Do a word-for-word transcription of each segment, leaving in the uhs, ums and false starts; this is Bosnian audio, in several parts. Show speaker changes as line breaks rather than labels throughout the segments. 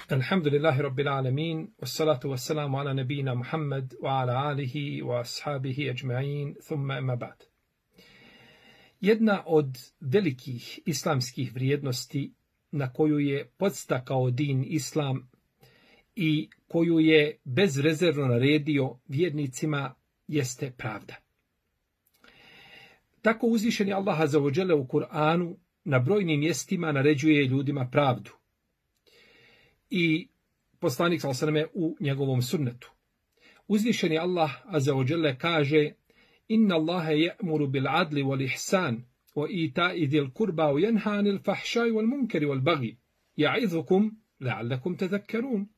Alhamdulillahi Rabbil Alamin, wassalatu wassalamu ala nabina Muhammad wa ala alihi wa ashabihi ajma'in, thumma amma ba'd. Jedna od velikih islamskih vrijednosti na koju je podstakao din Islam i koju je bezrezervno naredio vjernicima jeste pravda. Tako uzvišeni Allah azza wa dželle u Kur'anu na brojnim mjestima naređuje ljudima pravdu. I poslanik sallallahu alejhi ve sellem u njegovom sunnetu. Uzvišeni Allah azza wa dželle kaže: Inna Allaha ya'muru bil adli wal ihsan wa ita'i dhil qurba wa yanha 'anil fahsha'i wal munkari wal baghi ya'idhukum la'allakum tadhakkarun.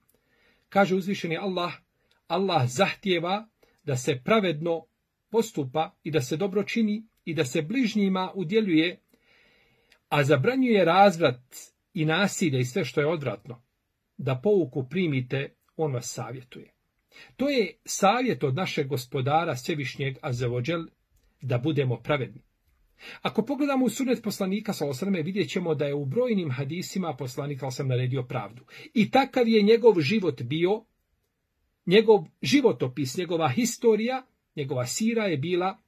Kaže uzvišeni Allah, Allah zahtijeva da se pravedno postupa i da se dobro čini i da se bližnjima udjeljuje, a zabranjuje razvrat i nasilje i sve što je odvratno. Da pouku primite, on vas savjetuje. To je savjet od našeg gospodara Svevišnjeg azza wa džel da budemo pravedni. Ako pogledamo u sunnet poslanika sallallahu alejhi ve sellem, vidjet ćemo da je u brojnim hadisima poslanik sallallahu alejhi ve sellem naredio pravdu. I takav je njegov život bio, njegov životopis, njegova historija, njegova sira je bila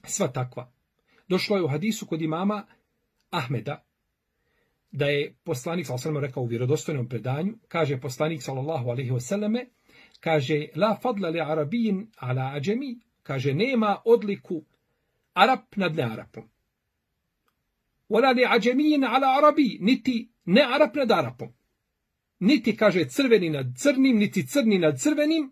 sva takva. Došlo je u hadisu kod imama Ahmeda da je poslanik sallallahu alejhi ve sellem rekao u vjerodostojnom predanju, kaže poslanik sallallahu alejhi ve selleme, kaže la fadla li arabijin ala ađemi, kaže nema odliku Arab nad ne Arapom. Wala li ađemijin ala arabi, niti ne Arab nad Arapom. Niti kaže crveni nad crnim, niti crni nad crvenim,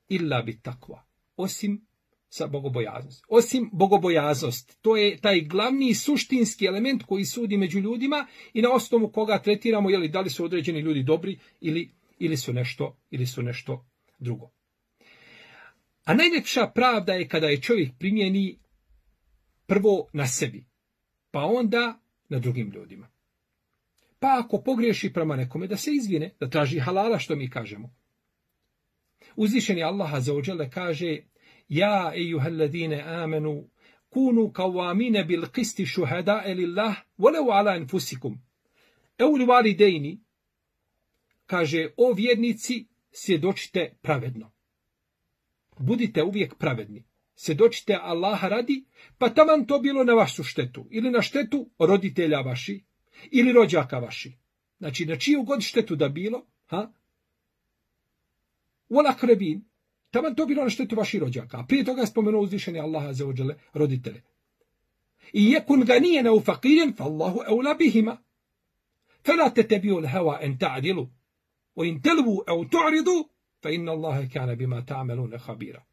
illa bit takva, osim sa bogobojaznost. Osim bogobojaznost, to je taj glavni suštinski element koji sudi među ljudima i na osnovu koga tretiramo je li da li su određeni ljudi dobri ili ili su nešto ili su nešto drugo. A najljepša pravda je kada je čovjek primjeni prvo na sebi, pa onda na drugim ljudima. Pa ako pogriješi prema nekome da se izvine, da traži halala, što mi kažemo. Uzvišeni Allah azza wa dželle kaže: Ja ejuhalladine amenu kunu kawamine bil qisti shuhada'a lillah walau ala anfusikum aw liwalidaini, kaže o vjernici svjedočite pravedno. Budite uvijek pravedni. Svjedočite Allaha radi, pa taman to bilo na vašu štetu ili na štetu roditelja vaši ili rođaka vaši. Znači na čiju god štetu da bilo, ha? Wal aqrabin, taman to bilo na štetu vaših rođaka. A prije toga je spomenuo uzvišeni Allah azza wa dželle roditelje. I yakun ganiyan aw faqiran fa Allahu awla bihima. Fala tatabi'u al-hawa an ta'dilu wa in talwu aw tu'ridu fa inna Allaha kana bima ta'maluna khabira.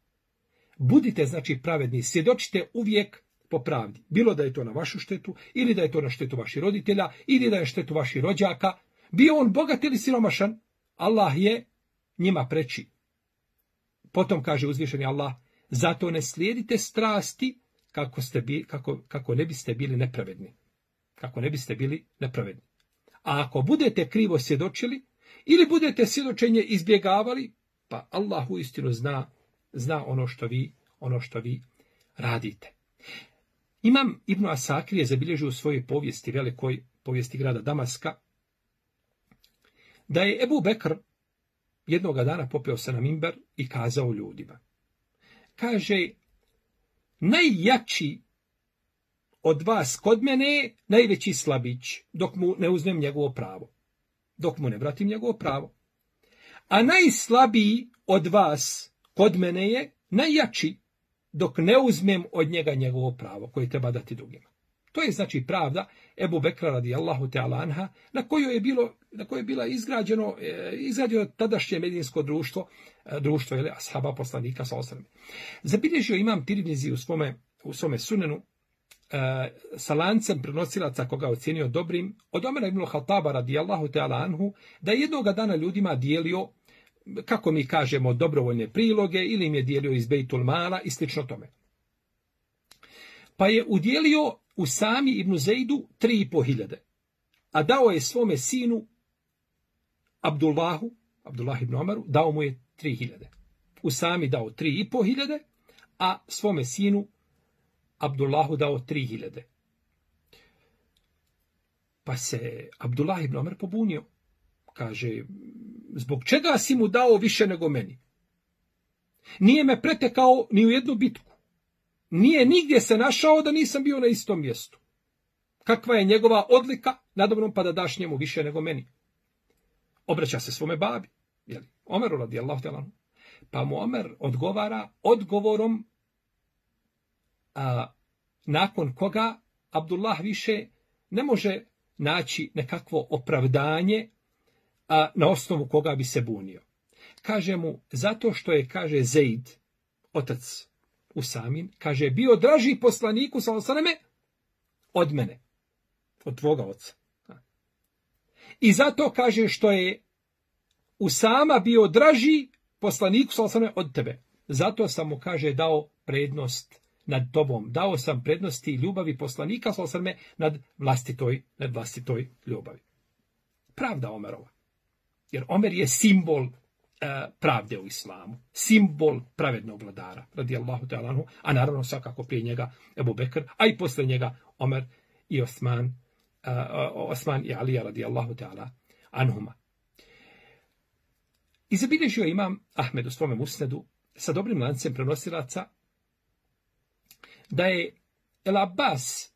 Budite znači pravedni, svjedočite uvijek po pravdi. Bilo da je to na vašu štetu, ili da je to na štetu vaših roditelja, ili da je štetu vaših rođaka, bio on bogat ili siromašan, Allah je njima preči. Potom kaže uzvišeni Allah: zato ne slijedite strasti kako ste bi, kako kako ne biste bili nepravedni. Kako ne biste bili nepravedni. A ako budete krivo svjedočili ili budete svjedočenje izbjegavali, pa Allah uistinu zna zna ono što vi ono što vi radite. Imam Ibn Asakir je zabilježio u svojoj povijesti, velikoj povijesti grada Damaska, da je Ebu Bekr jednoga dana popeo se na mimber i kazao ljudima. Kaže: najjači od vas kod mene je najveći slabić, dok mu ne uzmem njegovo pravo. Dok mu ne vratim njegovo pravo. A najslabiji od vas kod mene je najjači, dok ne uzmem od njega njegovo pravo, koje treba dati drugima. To je znači pravda Ebu Bekra radijallahu ta'ala anha, na koju je bilo, na kojoj je bila izgrađeno, izgrađeno tadašnje medinsko društvo, društvo ili ashaba poslanika sallallahu alejhi ve sellem. Zabilježio imam Tirmizi u svome, u svome sunenu sa lancem prenosilaca koga ocjenio dobrim, od Omera ibn Khattaba radijallahu ta'ala anhu, da je jednoga dana ljudima dijelio, kako mi kažemo, dobrovoljne priloge ili im je dijelio iz Bejtul Mala i slično tome. Pa je udjelio Usami ibn Zejdu tri i po hiljade, a dao je svome sinu Abdullahu, Abdullah ibn Omaru, dao mu je tri hiljade. Usami dao tri i po hiljade, a svome sinu Abdullahu dao tri hiljade. Pa se Abdullah ibn Omer pobunio kaže, zbog čega si mu dao više nego meni? Nije me pretekao ni u jednu bitku. Nije nigdje se našao da nisam bio na istom mjestu. Kakva je njegova odlika nadobnom pa da daš njemu više nego meni? Obraća se svome babi, jeli, Omeru radijallahu ta'ala anhu. Pa mu Omer odgovara odgovorom a, nakon koga Abdullah više ne može naći nekakvo opravdanje a, na osnovu koga bi se bunio. Kaže mu, zato što je, kaže, Zeid, otac Usamin, kaže, bio draži poslaniku sallallahu alejhi ve selleme od mene, od tvoga oca. I zato, kaže, što je Usama bio draži poslaniku sallallahu alejhi ve selleme od tebe. Zato sam mu, kaže, dao prednost nad tobom. Dao sam prednosti ljubavi poslanika sallallahu alejhi ve selleme nad vlastitoj, nad vlastitoj ljubavi. Pravda Omerova. Jer Omer je simbol pravde u islamu, simbol pravednog vladara, radijallahu ta'ala anhu, a naravno svakako prije njega Ebu Bekr, a i posle njega Omer i Osman, uh, Osman i Alija, radijallahu ta'ala anhuma. I zabilježio imam Ahmed u svome musnedu sa dobrim lancem prenosilaca da je El Abbas,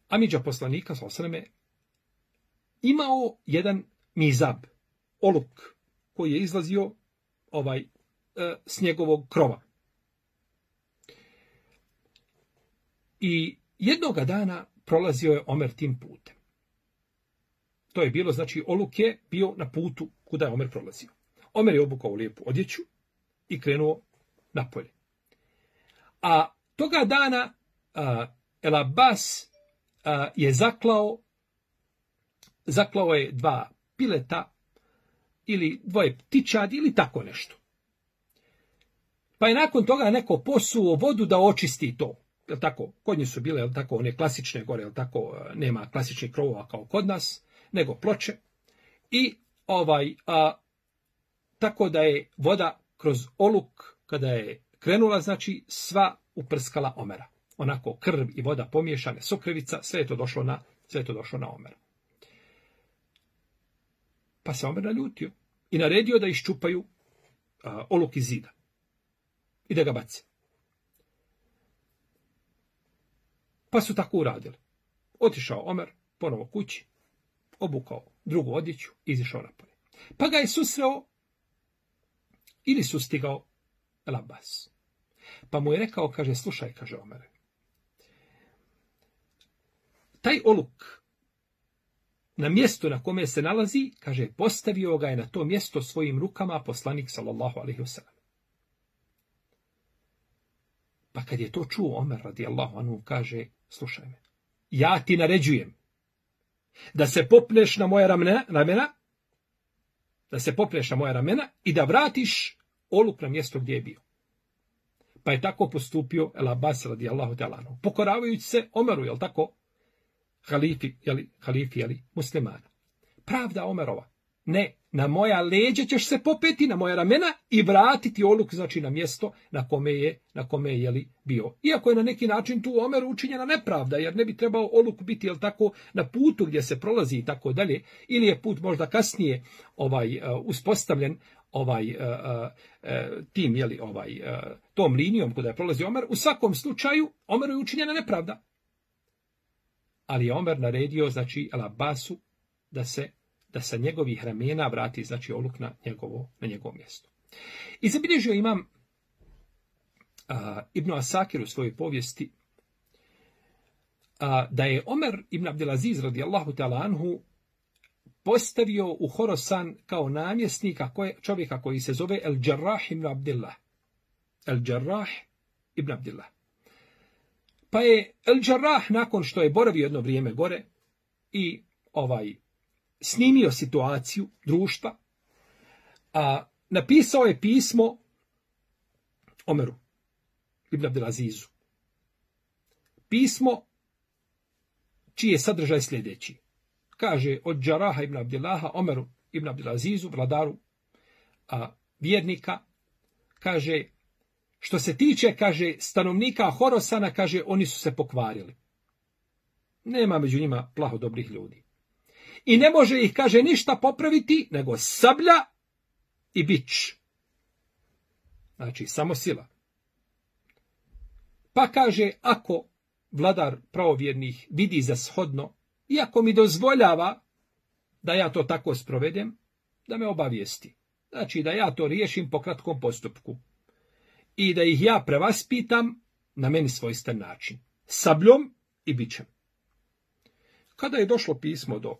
amidža poslanika, sallallahu alejhi ve selleme, imao jedan mizab, oluk, koji je izlazio ovaj e, s njegovog krova. I jednoga dana prolazio je Omer tim putem. To je bilo, znači, oluk je bio na putu kuda je Omer prolazio. Omer je obukao lijepu odjeću i krenuo napolje. A toga dana a, El Abbas a, je zaklao, zaklao je dva pileta ili dvoje ptičadi ili tako nešto. Pa je nakon toga neko posuo vodu da očisti to. Jel tako? Kod njih su bile, jel tako, one klasične gore, jel tako, nema klasičnih krovova kao kod nas, nego ploče. I ovaj, a, tako da je voda kroz oluk, kada je krenula, znači, sva uprskala Omera. Onako krv i voda pomiješane, sukrevica, sve je to došlo na, sve je to došlo na Omera. Pa se Omer naljutio i naredio da iščupaju a, oluk iz zida i da ga bace. Pa su tako uradili. Otišao Omer ponovo kući, obukao drugu odjeću i izišao napolje. Pa ga je susreo ili sustigao El Abbas. Pa mu je rekao, kaže, slušaj, kaže Omer, taj oluk na mjesto na kome se nalazi, kaže, postavio ga je na to mjesto svojim rukama poslanik sallallahu alejhi ve sellem. Pa kad je to čuo Omer radijallahu anhu, kaže, slušaj me, ja ti naređujem da se popneš na moja ramena, ramena, da se popneš na moja ramena i da vratiš oluk na mjesto gdje je bio. Pa je tako postupio El Abbas radijallahu ta'ala anhu, pokoravajući se Omeru, jel tako, halifi, jeli, halifi, jeli, muslimana. Pravda Omerova. Ne, na moja leđa ćeš se popeti, na moja ramena i vratiti oluk, znači na mjesto na kome je, na kome je, jeli, bio. Iako je na neki način tu Omeru učinjena nepravda, jer ne bi trebao oluk biti, jel tako, na putu gdje se prolazi i tako dalje, ili je put možda kasnije ovaj, uh, uspostavljen ovaj uh, uh, tim, jeli, ovaj, uh, tom linijom kuda je prolazi Omer. U svakom slučaju, Omeru je učinjena nepravda. Ali je Omer naredio, znači, El Abbasu da se da sa njegovih ramena vrati, znači, oluk na njegovo, na njegovo mjesto. I zabilježio imam uh, Ibn Asakir u svojoj povijesti uh, da je Omer ibn Abdelaziz radijallahu ta'ala anhu postavio u Horasan kao namjesnika koje, čovjeka koji se zove El Džarrah ibn Abdillah. El Džarrah ibn Abdillah. Pa je El Džarrah, nakon što je boravio jedno vrijeme gore i ovaj snimio situaciju društva, a napisao je pismo Omeru ibn Abdelazizu. Pismo čiji je sadržaj sljedeći. Kaže od Džaraha ibn Abdillaha Omeru ibn Abdelazizu, vladaru a, vjernika, kaže, što se tiče, kaže, stanovnika Horosana, kaže, oni su se pokvarili. Nema među njima plaho dobrih ljudi. i ne može ih, kaže, ništa popraviti, nego sablja i bič. Znači, samo sila. Pa kaže, ako vladar pravovjernih vidi za shodno, iako mi dozvoljava da ja to tako sprovedem, da me obavijesti. Znači, da ja to riješim po kratkom postupku. I da ih ja prevaspitam na meni svojstven način. Sabljom i bičem. Kada je došlo pismo do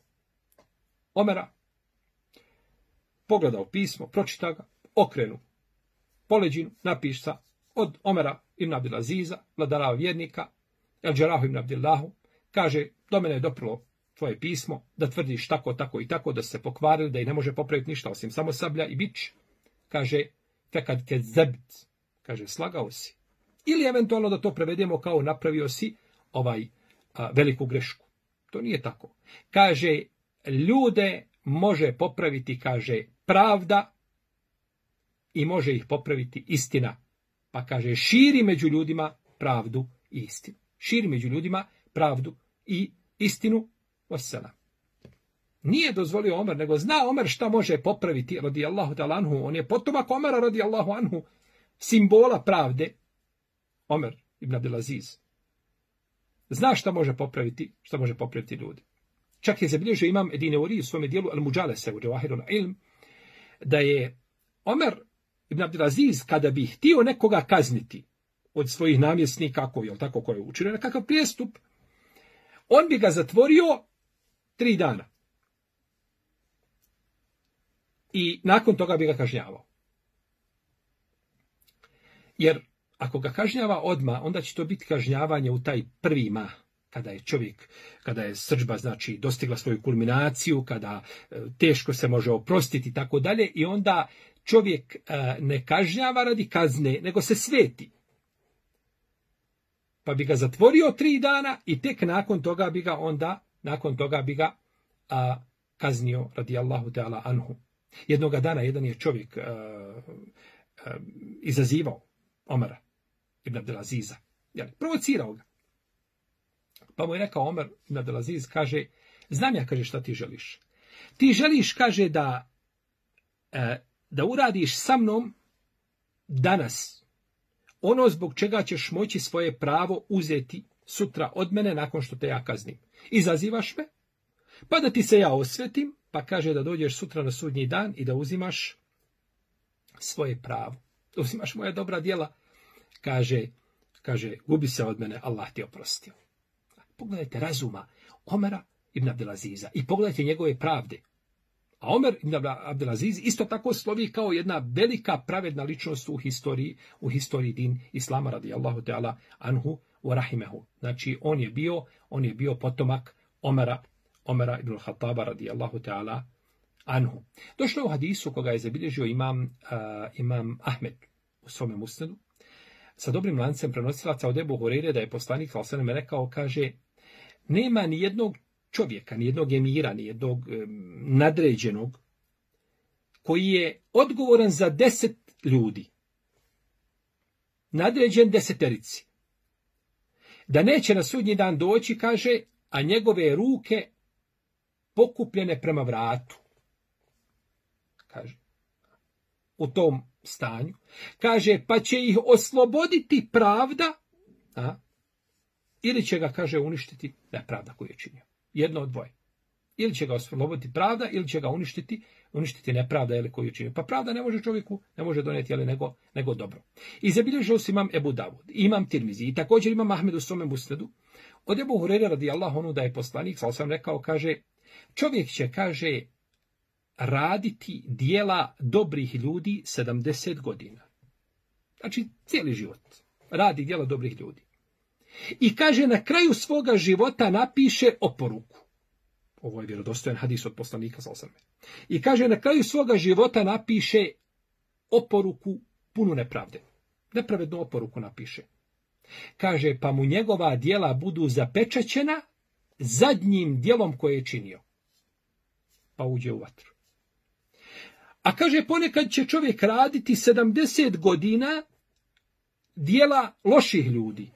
Omera, pogledao pismo, pročita ga, okrenu poleđinu, napiša od Omera ibn Abdelaziza, vladara vjernika, El Džerahu ibn Abdillahu, kaže, do mene je doprlo tvoje pismo, da tvrdiš tako, tako i tako, da se pokvarili, da i ne može popraviti ništa, osim samo sablja i bič. Kaže, fekad ke zebt, kaže, slagao si. Ili eventualno da to prevedemo kao napravio si ovaj a, veliku grešku. To nije tako. Kaže, ljude može popraviti, kaže, pravda i može ih popraviti istina. Pa kaže, širi među ljudima pravdu i istinu. Širi među ljudima pravdu i istinu. Osela. Nije dozvolio Omer, nego zna Omer šta može popraviti, radijallahu ta'ala anhu. On je potomak Omera, radijallahu anhu, simbola pravde. Omer ibn Abdelaziz. Zna šta može popraviti, šta može popraviti ljudi. Čak je zabilježio imam Edine Uri u svome dijelu Al-Muđalese u Džavahirul Ilm, da je Omer ibn Abdelaziz, kada bi htio nekoga kazniti od svojih namjesnika, ako je tako koji je učinio nekakav prijestup, on bi ga zatvorio tri dana. I nakon toga bi ga kažnjavao. Jer ako ga kažnjava odmah, onda će to biti kažnjavanje u taj prvi mah, kada je čovjek, kada je srdžba, znači, dostigla svoju kulminaciju, kada e, teško se može oprostiti i tako dalje, i onda čovjek e, ne kažnjava radi kazne, nego se sveti. Pa bi ga zatvorio tri dana i tek nakon toga bi ga onda, nakon toga bi ga a, kaznio radijallahu ta'ala anhu. Jednoga dana jedan je čovjek a, a, izazivao Omera ibn Abdelaziza. Jel, provocirao ga. Pa mu je rekao Omer ibn Abdelaziz, kaže, znam ja, kaže, šta ti želiš. Ti želiš, kaže, da, a, da uradiš sa mnom danas ono zbog čega ćeš moći svoje pravo uzeti sutra od mene nakon što te ja kaznim. Izazivaš me, pa da ti se ja osvetim, pa kaže da dođeš sutra na sudnji dan i da uzimaš svoje pravo. Da uzimaš moja dobra djela. Kaže, kaže, gubi se od mene, Allah ti oprostio. Pogledajte razuma Omera ibn Abdelaziza i pogledajte njegove pravde. A Omer ibn Abdelaziz isto tako slovi kao jedna velika pravedna ličnost u historiji, u historiji din Islama radijallahu ta'ala anhu wa rahimehu. Znači on je bio, on je bio potomak Omera, Omera ibn Khattaba radijallahu ta'ala anhu. Došlo je u hadisu koga je zabilježio imam, uh, imam Ahmed u svome musnedu, sa dobrim lancem prenosilaca od Ebu Hureyre, da je poslanik sallallahu alejhi ve sellem rekao, kaže, nema ni jednog čovjeka, ni jednog emira, ni jednog um, nadređenog, koji je odgovoran za deset ljudi. Nadređen deseterici. Da neće na sudnji dan doći, kaže, a njegove ruke pokupljene prema vratu. Kaže, u tom stanju. Kaže, pa će ih osloboditi pravda, a, ili će ga, kaže, uništiti nepravda koju je činio. Jedno od dvoje. Ili će ga osloboditi pravda, ili će ga uništiti, uništiti nepravda ili koju je činio. Pa pravda ne može čovjeku, ne može donijeti, ali nego, nego dobro. I zabilježio se imam Ebu Davud, imam Tirmizi, i također imam Ahmed u svome musnedu. Od Ebu Hureyre radijallahu anhu da je poslanik, sallallahu alejhi ve sellem rekao, kaže, čovjek će, kaže, raditi dijela dobrih ljudi sedamdeset godina. Znači, cijeli život. Radi dijela dobrih ljudi. I kaže, na kraju svoga života napiše oporuku. Ovo je vjerodostojan hadis od poslanika, sallallahu alejhi ve sellem. I kaže, na kraju svoga života napiše oporuku punu nepravde. Nepravednu oporuku napiše. Kaže, pa mu njegova dijela budu zapečaćena zadnjim dijelom koje je činio. Pa uđe u vatru. A kaže, ponekad će čovjek raditi sedamdeset godina dijela loših ljudi.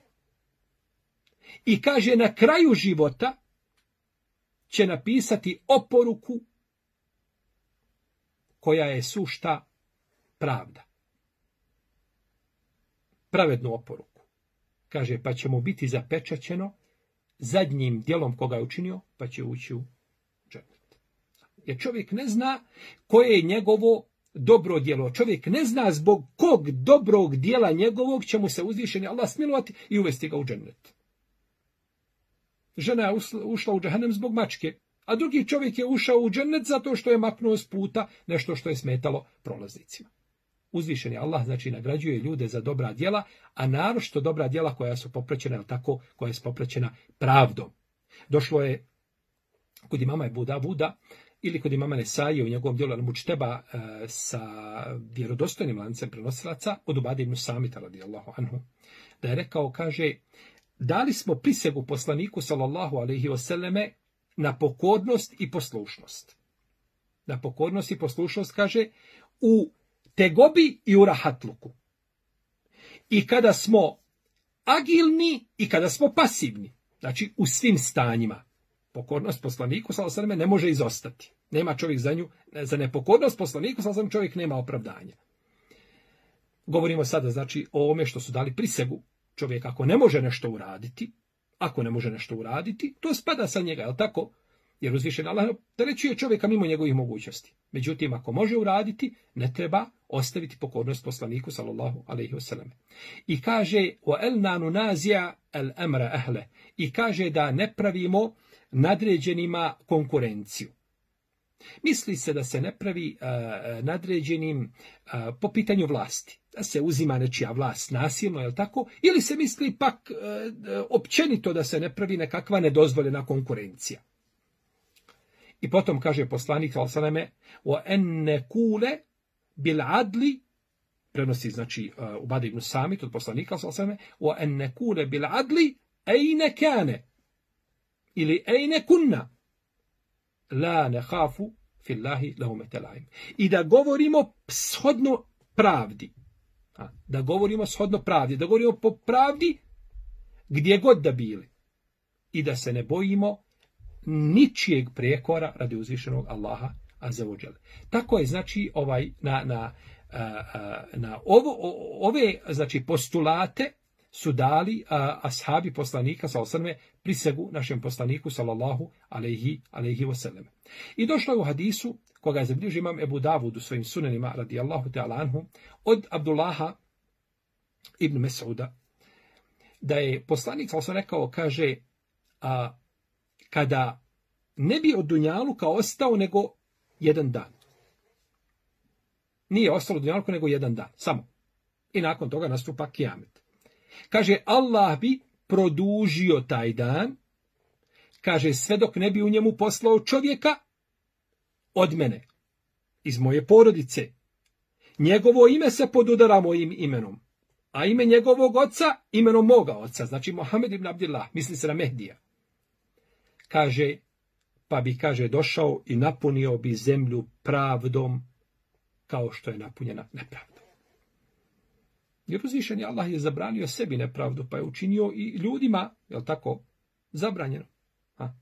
I kaže, na kraju života će napisati oporuku koja je sušta pravda. Pravednu oporuku. Kaže, pa će mu biti zapečaćeno zadnjim dijelom koga je učinio, pa će ući u džennet. Jer čovjek ne zna koje je njegovo dobro djelo. Čovjek ne zna zbog kog dobrog dijela njegovog će mu se uzvišeni Allah smilovati i uvesti ga u džennet. Žena je ušla u džehennem zbog mačke, a drugi čovjek je ušao u džennet zato što je maknuo s puta nešto što je smetalo prolaznicima. Uzvišeni Allah znači nagrađuje ljude za dobra djela, a naročito dobra djela koja su popraćena, tako, koja je popraćena pravdom. Došlo je kod imama Ebu Davuda ili kod imama Nesaije u njegovom djelu Al-Mučteba e, sa vjerodostojnim lancem prenosilaca od Ubade ibn Samita radijallahu anhu, da je rekao, kaže, dali smo prisegu poslaniku sallallahu alejhi ve selleme na pokornost i poslušnost. Na pokornost i poslušnost, kaže, u tegobi i u rahatluku. I kada smo agilni i kada smo pasivni. Znači u svim stanjima. Pokornost poslaniku sallallahu alejhi ve selleme ne može izostati. Nema čovjek za nju, za nepokornost poslaniku sallallahu alejhi ve selleme čovjek nema opravdanja. Govorimo sada znači o ovome što su dali prisegu. Čovjek ako ne može nešto uraditi, ako ne može nešto uraditi, to spada sa njega, je li tako? Jer uzvišen Allah opterećuje čovjeka mimo njegovih mogućnosti. Međutim, ako može uraditi, ne treba ostaviti pokornost poslaniku sallallahu alejhi ve sellem. I kaže o el nanu nazija el emra ahle. I kaže da ne pravimo nadređenima konkurenciju. Misli se da se ne pravi uh, nadređenim uh, po pitanju vlasti. Da se uzima nečija vlast nasilno, je li tako? Ili se misli pak uh, općenito da se ne pravi nekakva nedozvoljena konkurencija. I potom kaže poslanik sallallahu alejhi ve selleme o enne kule bil adli, prenosi znači uh, Ubade ibn Samit od poslanika sallallahu alejhi ve selleme, o enne kule bil adli ejne kane ili ejne kunna la nehafu fillahi lahumete laim. I da govorimo shodno pravdi. A, da govorimo shodno pravdi. Da govorimo po pravdi gdje god da bili. I da se ne bojimo ničijeg prijekora radi uzvišenog Allaha azza wa dželle. Tako je znači ovaj na na na ovo ove znači postulate su dali a, ashabi poslanika sallallahu alejhi ve selleme prisegu našem poslaniku sallallahu alejhi alejhi ve sellem. I došlo je u hadisu koga je zabilježio imam Ebu Davud u svojim sunenima radijallahu ta'ala anhu od Abdullaha ibn Mes'uda da je poslanik sallallahu alejhi ve sellem rekao, kaže, a, kada ne bi od dunjaluka ostao nego jedan dan. Nije ostalo dunjaluka nego jedan dan, samo. I nakon toga nastupa kijamet. Kaže, Allah bi produžio taj dan, kaže, sve dok ne bi u njemu poslao čovjeka od mene, iz moje porodice. Njegovo ime se podudara mojim imenom, a ime njegovog oca imenom moga oca, znači Mohamed ibn Abdillah, misli se na Mehdija. Kaže, pa bi, kaže, došao i napunio bi zemlju pravdom kao što je napunjena nepravdom. Jer uzvišeni Allah je zabranio sebi nepravdu, pa je učinio i ljudima, je li tako, zabranjeno. Ha?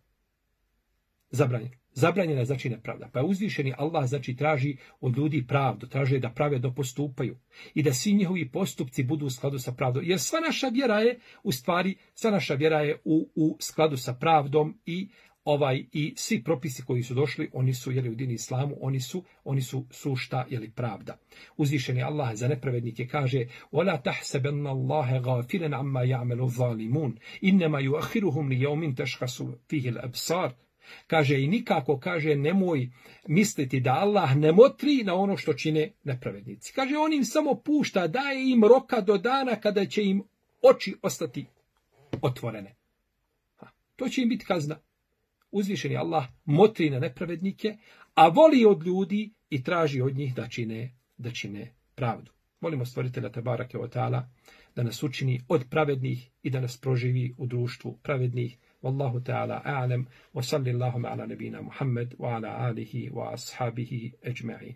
Zabranjeno. Zabranjena je znači nepravda. Pa je uzvišeni Allah znači traži od ljudi pravdu, traži da pravedno postupaju i da svi njihovi postupci budu u skladu sa pravdom. Jer sva naša vjera je, u stvari, sva naša vjera je u, u skladu sa pravdom i ovaj i svi propisi koji su došli, oni su jeli u dini islamu, oni su oni su sušta jeli pravda. Uzvišeni Allah za nepravednike kaže: "Wala tahsabanna Allaha ghafilan amma ya'malu zalimun, inma yu'akhiruhum li yawmin tashkhasu fihi al-absar." Kaže i nikako, kaže, nemoj misliti da Allah ne motri na ono što čine nepravednici. Kaže, on im samo pušta, daje im roka do dana kada će im oči ostati otvorene. Ha, to će im biti kazna. Uzvišeni Allah motri na nepravednike, a voli od ljudi i traži od njih da čine, da čine pravdu. Molimo stvoritelja Tebarake ve Teala da nas učini od pravednih i da nas proživi u društvu pravednih. Wallahu ta'ala a'lam wa sallallahu ala nabina Muhammad wa ala alihi wa ashabihi ajma'in.